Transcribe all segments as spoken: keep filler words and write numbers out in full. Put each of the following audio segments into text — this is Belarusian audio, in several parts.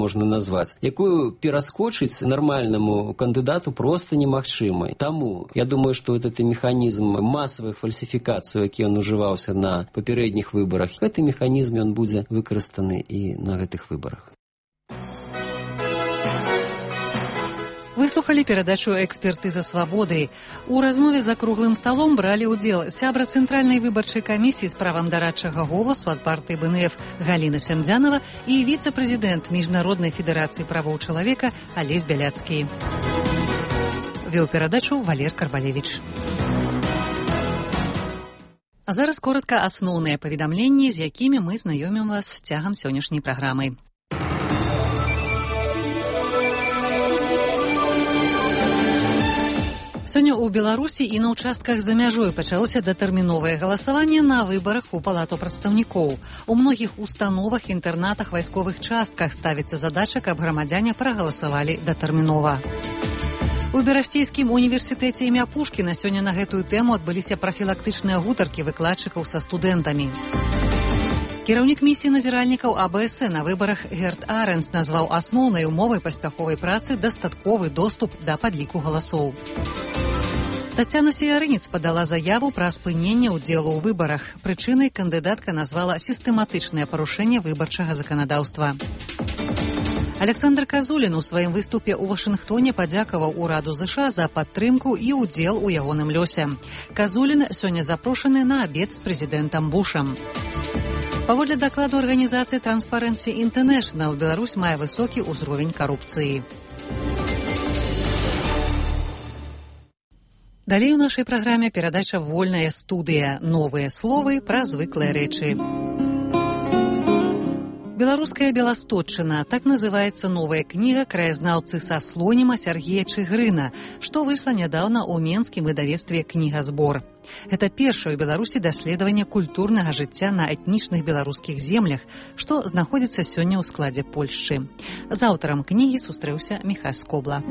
можна назваць, якую пераскочыць нармальнаму кандыдату проста немагчыма. Таму я думаю, што этот механізм масавых фальсіфікацый, які ён ужываўся на папярэдніх выбарах, гэты механізм ён будзе выкарыстаны і на гэтых выбарах. Выслухалі перадачу «Экспертыза свабоды». У размове за круглым сталом бралі ўдзел сябра Цэнтральнай выбарчай камісіі з правам дарадчага голасу ад партыі бэ эн эф Галіна Сямдзянова і віцэ-прэзідэнт Міжнароднай федэрацыі правоў чалавека Алесь Бяляцкі. Вёў перадачу Валер Карбалевіч. А зараз коротка асноўныя паведамленні, з якімі мы знаёмім вас цягам сённяшняй праграмы. Сёння ў Беларусі і на ўчастках за мяжой пачалося датэрміновае галасаванне на выбарах у Палату прадстаўнікоў. У многіх установах, інтэрнатах, вайсковых частках ставіцца задача, каб грамадзяне прагаласавалі датэрмінова. У Берасцейскім універсітэце імя Пушкіна сёння на гэтую тэму адбыліся прафілактычныя гутаркі выкладчыкаў са студэнтамі. Кіраўнік місіі назіральнікаў а бэ эс на выбарах Герт Арэнс назваў асноўнай умовай паспяховай працы дастатковы доступ да падліку галасоў. Тацяна Сіярыніц падала заяву пра спыненне ўдзелу ў выбарах. Прычынай кандыдатка назвала сістэматычнае парушэнне выбарчага заканадаўства. Александр Казулін у сваім выступе ў Вашынгтоне падзякаваў ураду ЗША за падтрымку і ўдзел у ягоным лёсе. Казулін сёння запрошаны на абед з прэзідэнтам Бушам. Паводле дакладу арганізацыі Transparency International, Беларусь мае высокі ўзровень карупцыі. Далей у нашай праграме перадача «Вольная студыя». Новыя словы пра звыклыя рэчы. Беларуская Беластотчына. Так называецца новая кніга краязнаўцы са Слоніма Сяргея Чыгрына, што выйшла нядаўна ў менскім выдавецтве «Кнігазбор». Гэта першае ў Беларусі даследаванне культурнага жыцця на этнічных беларускіх землях, што знаходзіцца сёння ў складзе Польшчы. З аўтарам кнігі сустрэўся Міхась Скобла.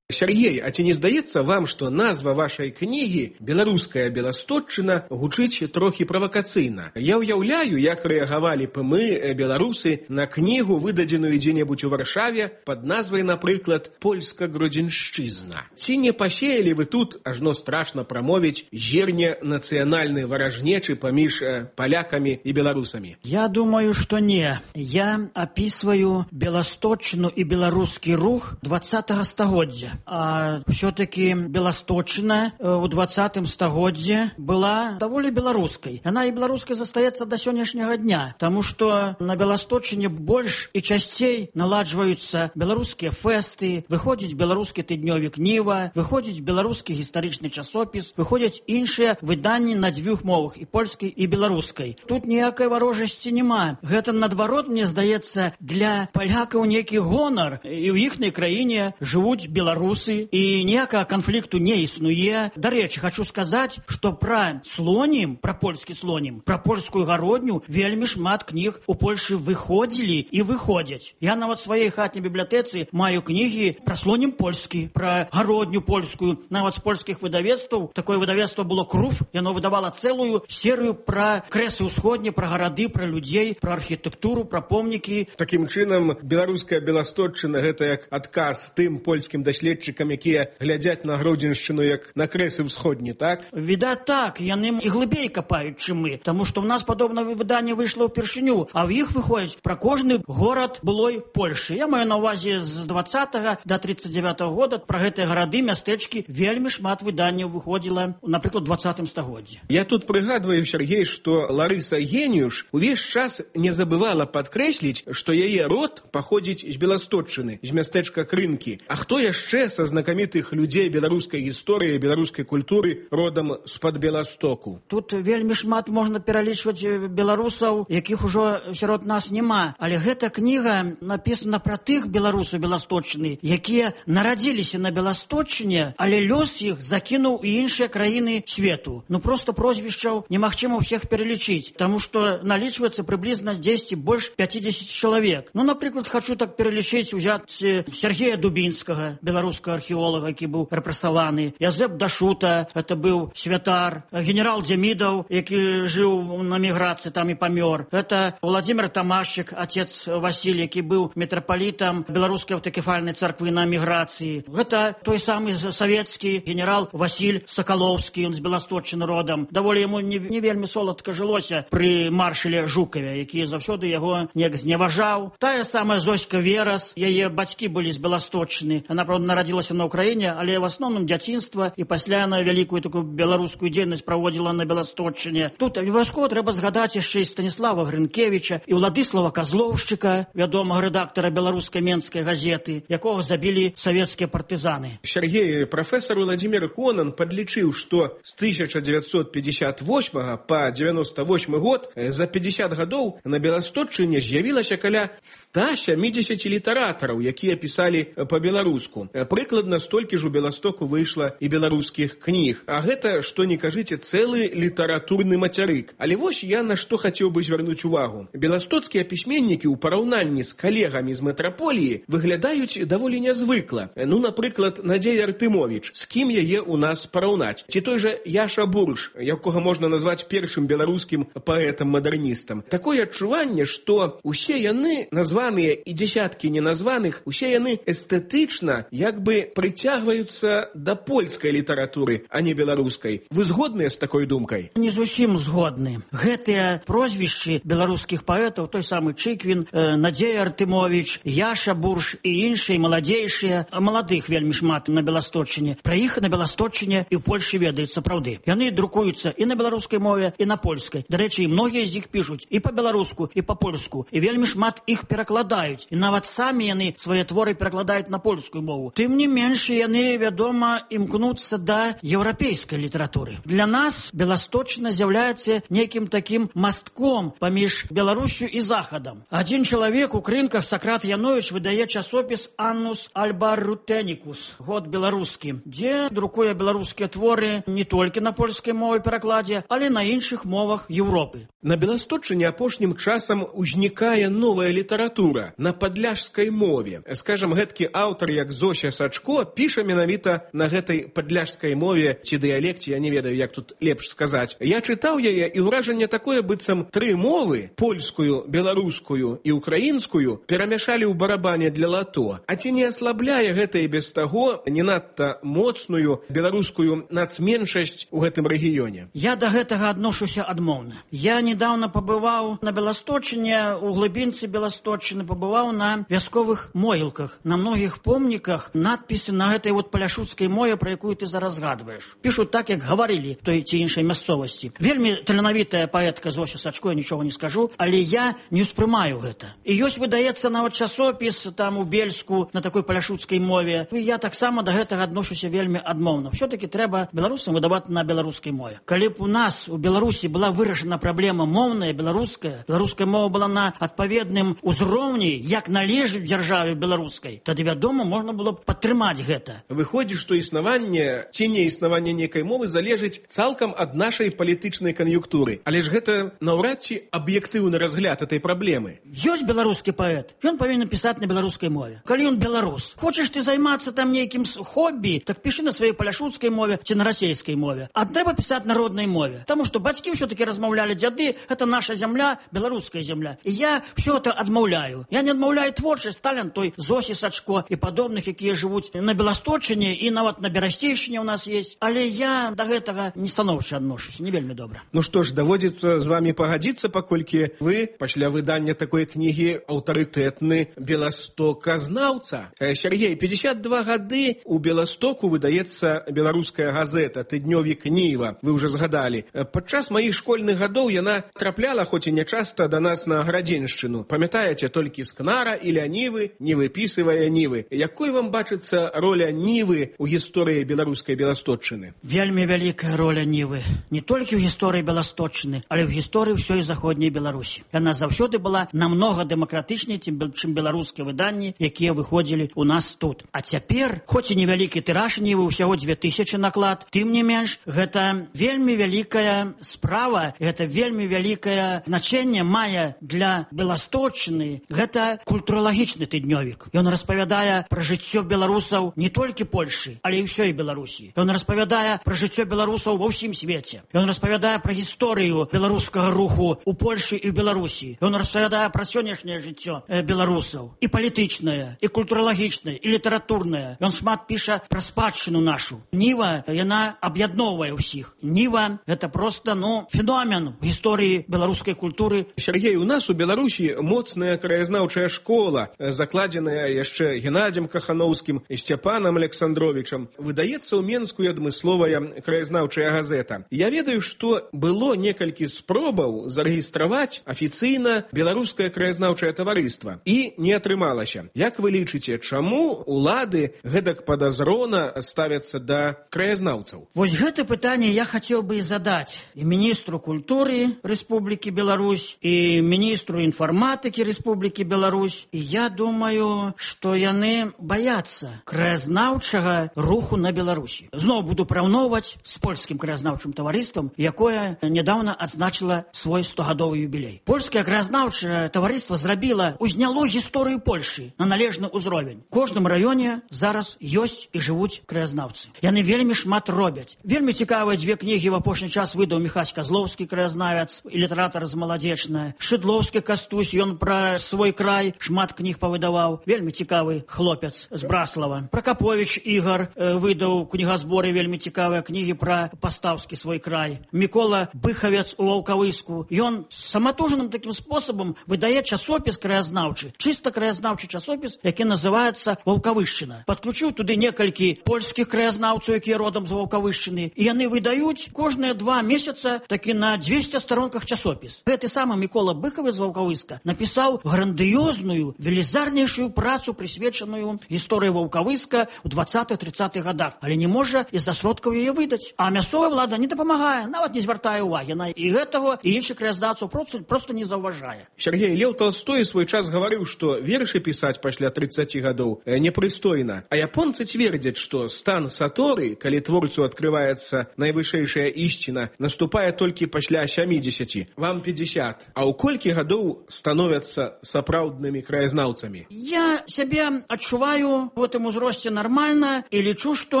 Сергей, а ці не здаецца вам, што назва вашай кнігі «Беларуская Беластотчына» гучыць трохі правакацыйна? Я ўяўляю, як рэагавалі б мы, беларусы, на кнігу, выдадзеную дзе-небудзь у Варшаве пад назвай, напрыклад, «Польска-Гродзеншчызна». Ці не пасеялі вы тут, ажно страшна прамовіць, зерне нацыянальнай варажнечы паміж палякамі і беларусамі? Я думаю, што не. Я апісваю Беластотчыну і беларускі рух двадцатага стагоддзя. А все-таки Беластотчына ў двадцатым стагоддзе была даволі беларускай. Яна і беларускай застаецца да сённяшняга дня, таму што на Беластотчыне больш і часцей наладжваюцца беларускія фэсты, выходзіць беларускі тыднёвік «Ніва», выходзіць беларускі гістарычны часопіс, выходзяць іншыя выданні на дзвюх мовах, і польскай, і беларускай. Тут ніякай варожасці няма. Гэта, наадварот, мне здаецца, для палякаў нейкі гонар. І ў іхняй краіне жывуць беларусы, і ніякага канфлікту не існуе. Дарэчы, хочу сказаць, што пра Слонім, пра польскі Слонім, пра польскую гародню вельмі шмат кніг у Польшы выходзілі і выходзяць. Я нават сваёй хатняй бібліятэцы маю кнігі пра Слонім польскі, пра гародню польскую, нават з польскіх выдавецтваў. Такое выдавецтва было «Круф», яно выдавала цэлую серыю пра крэсы ўсходні, пра гарады, пра людзей, пра архітэктуру, пра помнікі. Такім чынам, беларуская Беластотчына — гэта як адказ тым польскім даследчыкам, якія глядзяць на Гродзеншчыну як на крэсы ўсходні, так? Відаць так, яны і глыбей капаюць, чым мы, таму што ў нас падобнае выданне выйшла ўпершыню, а ў іх выходзіць пра кожны горад былой Польшы. Я маю на ўвазе з двадцатага да тридцать девятого года пра гэтыя гарады, мястэчкі вельмі шмат выданняў выходзіла, напрыклад, у двадцатым стагоддзі. Я тут прыгадваю, Сергей, што Ларыса Геніюш увесь час не забывала падкрэсліць, што яе род паходзіць з Беластотчыны, з мястэчка Крынкі. А хто яшчэ са знакамітых людзей беларускай гісторыі, беларускай культуры родам з-пад Беластоку? Тут вельмі шмат можна пералічваць беларусаў, якіх ужо сярод нас няма. Але гэта кніга напісана пра тых беларусаў Беластотчыны, якія нарадзіліся на Беластотчыне, але лёс іх закінуў у іншыя краіны свету. Ну проста прозвішчаў немагчыма ўсіх пералічыць, таму што налічваецца прыблізна дзесьці больш пятьдесят чалавек. Ну, напрыклад, хачу так пералічыць, узяць Сергея Дубінскага, беларус беларускага археолага, які быў рэпрэсаваны. Язэп Дашута, это быў святар. Генерал Дзямідаў, які жыў на міграцыі, там і памёр. Это Владимир Тамашчык, отец Васіль, які быў мітрапалітам беларускай аўтакефальнай царквы на міграцыі. Гэта той самы савецкі генерал Васіль Сакалоўскі, ён з Беласточчыны родам. Даволі яму не, не вельмі соладка жылося пры маршале Жукаве, які заўсёды яго неяк зневажаў. Тая самая Зоська Верас, яе бацькі былі з Беласточчыны. Она, правда, нарадзілася на Ўкраіне, але в асноўным дзяцінства, і пасля на вялікую такую беларускую дзейнасць праводзіла на Беласточчыне. Тут абавязкова трэба згадаць яшчэ і Станіслава Грынкевіча, і Уладыслава Казлоўшчыка, вядомага рэдактара беларускай менскай газеты, якога забілі савецкія партызаны. Сергей, прафесор Владимир Конан подлічыў, што з тысяча дзевяцьсот пятьдесят восьмага па девяносто восьмы год за пятьдесят гадоў на Беласточчыне з'явілася каля ста сямідзесят літаратараў, якія пісалі па-беларуску. Прыкладна столькі ж у Беластоку выйшла і беларускіх кніг. А гэта, што не кажыце, цэлы літаратурны мацярык. Але вось я на што хацеў бы звярнуць увагу. Беластоцкія пісьменнікі ў параўнанні з калегамі з метраполіі выглядаюць даволі нязвыкла. Ну, напрыклад, Надзея Артымовіч. З кім яе ў нас параўнаць? Ці той жа Яша Бурш, якога можна назваць першым беларускім паэтам-мадэрністам. Такое адчуванне, што усе яны, названыя і дзесяткі неназваных, усе яны эстэтычна як бы прыцягваюцца да польскай літаратуры, а не беларускай. Вы згодныя з такой думкай? Не зусім згодны. Гэтыя прозвішчы беларускіх паэтаў, той самы Чыквін, э, Надзея Артымовіч, Яша Бурш і іншыя маладзейшыя, маладых вельмі шмат на Беласточчыне. Пра іх на Беласточчыне і ў Польшы ведаюць сапраўды. Яны друкуюцца і на беларускай мове, і на польскай. Дарэчы, і многія з іх пішуць і па-беларуску, і па-польску. І вельмі шмат іх перакладаюць. І нават самі яны свае творы перакладаюць на польскую мову. Тым не менш, яны, вядома, імкнуцца да еўрапейскай літаратуры. Для нас Беласточчына з'яўляецца нейкім такім мастком паміж Беларусю і Захадам. Адзін чалавек у крынках, Сакрат Яновіч, выдае часопіс «Аннус Альбарутеникус», год беларускі, дзе друкуе беларускія творы не толькі на польскай мове перакладзе, але на іншых мовах Еўропы. На Беласточчыне апошнім часам узнікае новая літаратура на падляшскай мове. Скажам, гэткі аўтар, як Зося Сачко, піша менавіта на гэтай падляшскай мове ці дыялекце, я не ведаю, як тут лепш сказаць. Я чытаў яе, і ўражанне такое, быццам тры мовы, польскую, беларускую і украінскую, перамяшалі ў барабане для лато. А ці не аслабляе гэта і без таго не надта моцную беларускую нацменшасць у гэтым рэгіёне? Я да гэтага адношуся адмоўна. Я недавно пабываў на Беласточчыне, у глыбінцы Беласточчыны, пабываў на вясковых могілках. На многіх помніках надпісы на гэтай вот паляшуцкай мове, пра якую ты зараз згадваеш. Пішуць так, як гаварылі той ці іншай мясцовасці. Вельмі таленавітая паэтка Зося Сачко, я нічога не скажу, але я не ўспрымаю гэта. І ёсць, выдаецца нават часопіс там у Бельску на такой паляшуцкай мове. І я таксама да гэтага адношуся вельмі адмоўна. Все-таки трэба беларусам выдаваць на беларускай мове. Калі б у нас у Беларусі была вырашана праблема моўная, беларуская, беларуская мова была на адпаведным узроўні, як належыць дзяржаве беларускай, тады, вядома, можна было б падтрымаць гэта. Выходзіць, што існаванне ці не існаванне нейкай мовы залежыць цалкам ад нашай палітычнай кан'юнктуры. Але ж гэта наўрад ці аб'ектыўны разгляд этой праблемы. Ёсць беларускі паэт, ён павінен пісаць на беларускай мове. Калі ён беларус, хочаш ты займацца там нейкім хобі, так пішы на сваёй паляшуцкай мове ці на расейскай мове. А трэба пісаць на роднай мове. Таму што бацькі ўсё-таки размаўлялі, дзяды, гэта наша зямля, беларуская зямля. І я ўсё гэта адмаўляю. Я не адмаўляю творчасць талент той Зосі Сачко і падобных, якія жывуць на Беласточчыне і нават на Берасцейшчыне ў нас есть. Але я да гэтага не станоўча адношуся, не вельмі добра. Ну што ж, даводзіцца з вамі пагадзіцца, паколькі вы пасля выдання такой кнігі аўтарытэтны беластоказнаўца. Сергей, пятьдесят два гады у Беластоку выдаецца беларуская газета «Тыднёвік Ніва». Вы ўжо згадалі. Падчас маіх школьных гадоў яна трапляла, хоць і нячаста, да нас на Градзеншчыну. Памятаеце толькі з Кнара і Нівы, не выпісывая Нівы. Якой вам бачыцца роля Нівы ў гісторыі беларускай Беласточчыны? Вельмі вялікая роля Нівы. Не толькі ў гісторыі Беласточчыны, але ў гісторыі ўсёй заходняй Беларусі. Яна заўсёды была намнога дэмакратычней, чым беларускія выданні, якія выходзілі ў нас тут. А цяпер, хоць і невялікі тыраж Нівы, усяго дзве тысячы наклад, тым не менш, гэта вельмі вялікая справа, гэта вельмі вялікае значэнне мае для Беласточчыны. Гэта культуралагічны тыднёвік. Ён распавядае пра жыццё беларускіх беларусаў не толькі Польшы, але і ўсёй Беларусі. Ён распавядае пра жыццё беларусаў ва ўсім свеце. Ён распавядае пра гісторыю беларускага руху у Польшы і ў Беларусі. Ён распавядае пра сённяшняе жыццё беларусаў. І палітычнае, і культуралагічнае, і літаратурнае. Ён шмат піша пра спадчыну нашу. Ніва, яна аб'ядноўвае ўсіх. Ніва — гэта проста, ну, феномен в гісторыі беларускай культуры. Сергей, у нас у Беларусі моцная краязнаўчая школа, закладзеная яшчэ Геннадзем Кахановскім і Сцяпанам Александровичам. Выдаецца ў Менску і адмысловая краязнаўчая газета. Я ведаю, што было некалькі спробаў зарэгістраваць афіцыйна беларускае краязнаўчае таварыства. І не атрымалася. Як вы лічыце, чаму улады гэтак падазрона ставяцца да краязнаўцаў? Вось гэта пытанне я хацеў бы і задаць і міністру культуры Рэспублікі Беларусь, і міністру інфарматыкі Рэспублікі Беларусь. І я думаю, што яны баяцца краязнаўчага руху на Беларусі. Зноў буду параўноўваць з польскім краязнаўчым таварыствам, якое нядаўна адзначыла свой стогадовы юбілей. Польскае краязнаўчае таварыства зрабіла, узняло гісторыю Польшы на належны ўзровень. У кожным раёне зараз ёсць і жывуць краязнаўцы. Яны вельмі шмат робяць. Вельмі цікавыя дзве кнігі в апошні час выдаў Міхась Казлоўскі, краязнавец і літаратар з Маладзечная. Шыдлоўскі Кастусь, ён пра свой край шмат кніг павыдаваў. Вельмі цікавы хлопец з Браслава. Пракаповіч Ігар э, выдаў кнігазборы вельмі цікавыя кнігі пра пастаўскі свой край. Мікола Быхавец у Ваўкавыску. Ён саматужаным такім спосабам выдае часопіс краязнаўчы, чыста краязнаўчы часопіс, які называецца Ваўкавышчына. Падключыў туды некалькі польскіх краязнаўцаў, якія родам з Ваўкавышчыны, і яны выдаюць кожныя два месяца такі на дзвесце старонках часопіс. Гэты самы Мікола Быхавец з Ваўкавыска напісаў грандыёзную, велізарнейшую працу, прысвечаную гісторыі Ваўкавыска ў дваццатых-трыццатых гадах, але не можа з-за сродкаў яе выдаць. А мясцовая ўлада не дапамагае, нават не звяртае ўвагі на і гэтага, і іншых краязнаўцаў просто, просто не заўважае. Сергей, Леў Толстой свой час гаварыў, што вершы пісаць пасля трыццаці гадоў непрыстойна. А японцы цвердзяць, што стан саторы, калі творцу адкрываецца найвышэйшая ісціна, наступае толькі пасля сямідзесяці. Вам пятьдесят. А ў колькі гадоў становяцца сапраўднымі краязнаўцамі? Я сябе адчуваю у гэтым узросце нармальна і лічу, што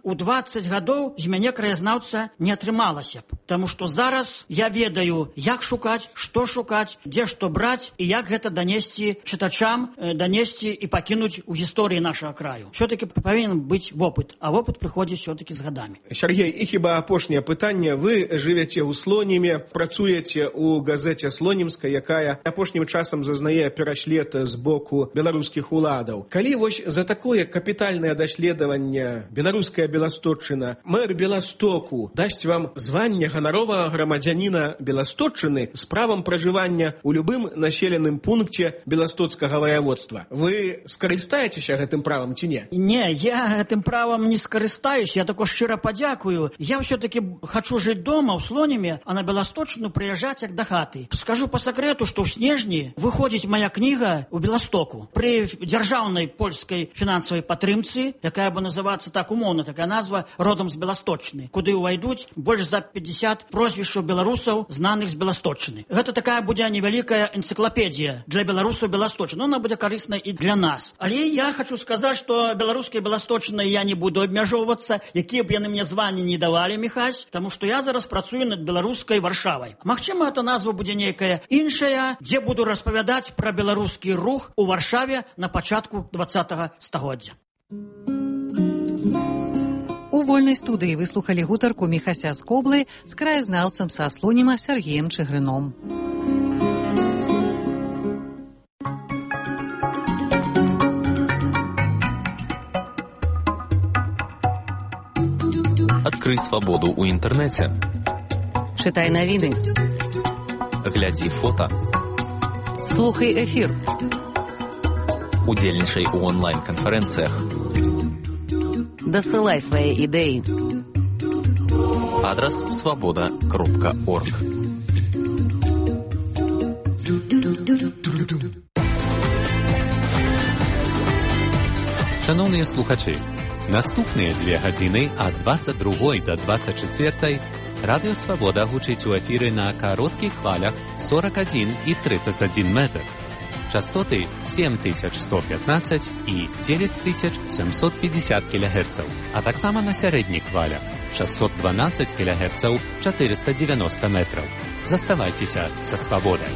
ў дваццаць гадоў з мяне краязнаўца не атрымалася б. Таму што зараз я ведаю, як шукаць, што шукаць, дзе што браць і як гэта данесці чытачам, данесці і пакінуць у гісторыі нашага краю. Все-таки павінен быць вопыт, а вопыт прыходзіць все-таки з гадамі. Сергей, і хіба апошняе пытанне. Вы жывяце ў Слоніме, працуеце ў газеце «Слонімска», якая апошнім часам зазнае пераслед з боку беларускіх уладаў. Калі вось за такое капітальнае даследаванне беларуская Беласточчына, мэр Беластоку дасць вам званне ганаровага грамадзяніна Беласточчыны з правам пражывання ў любым населеным пункце беластоцкага ваяводства, вы скарыстаецеся гэтым правам ці не? Не, я гэтым правам не скарыстаюсь, я тако шчыра падзякую. Я все-таки хочу жыць дома ў Слоніме, а на Беласточчыну прыязджаць як да хаты. Скажу по сакрэту, што ў снежні выходзіць моя кніга ў Беластоку. Пры дзяржаўнай польскай фінансавай падтрымцы, якая бы называцца так умоўна, такая назва, родам з Беласточчыны, куды ўвайдуць больш за пятьдесят прозвішчаў беларусаў, знаных з Беласточчыны. Гэта такая будзе невялікая энцыклапедія для беларусаў Беласточчыны. Она будзе карысна і для нас. Але я хочу сказаць, што беларускай Беласточчынай я не буду абмяжоўвацца, якія б яны мне званні не давалі, Міхась, таму што я зараз працую над беларускай Варшавай. Магчыма, эта назва будзе нейкая іншая, дзе буду распавядаць пра беларускі рух у Варшаве на пачатку двадцатага стагоддзя. У вольнай студыі выслухалі гутарку Міхася з Коблы з краязнаўцам са Слоніма Сергеем Чыгрыном. Адкрый свабоду ў інтэрнэце. Чытай навіны. Глядзі фота. Слухай эфір. Удзельнічай у онлайн-канферэнцыях. Дасылай свае ідэі. Адрас свабода кропка орг. Шановныя слухачы, наступныя дзве гадзіны ад дваццаць другой да дваццаць чацвёртай Радыё Свабода гучыць у эфіры на кароткіх хвалях сорок адзін і тридцать адзін метр. частоты сем тысяч сто пятнадцать і девять тысяч семьсот пятьдесят килогерцаў, а таксама на сярэдніх хвалях шестьсот двенадцать килогерцаў, четыреста девяносто метров. Заставайцеся са свабодай.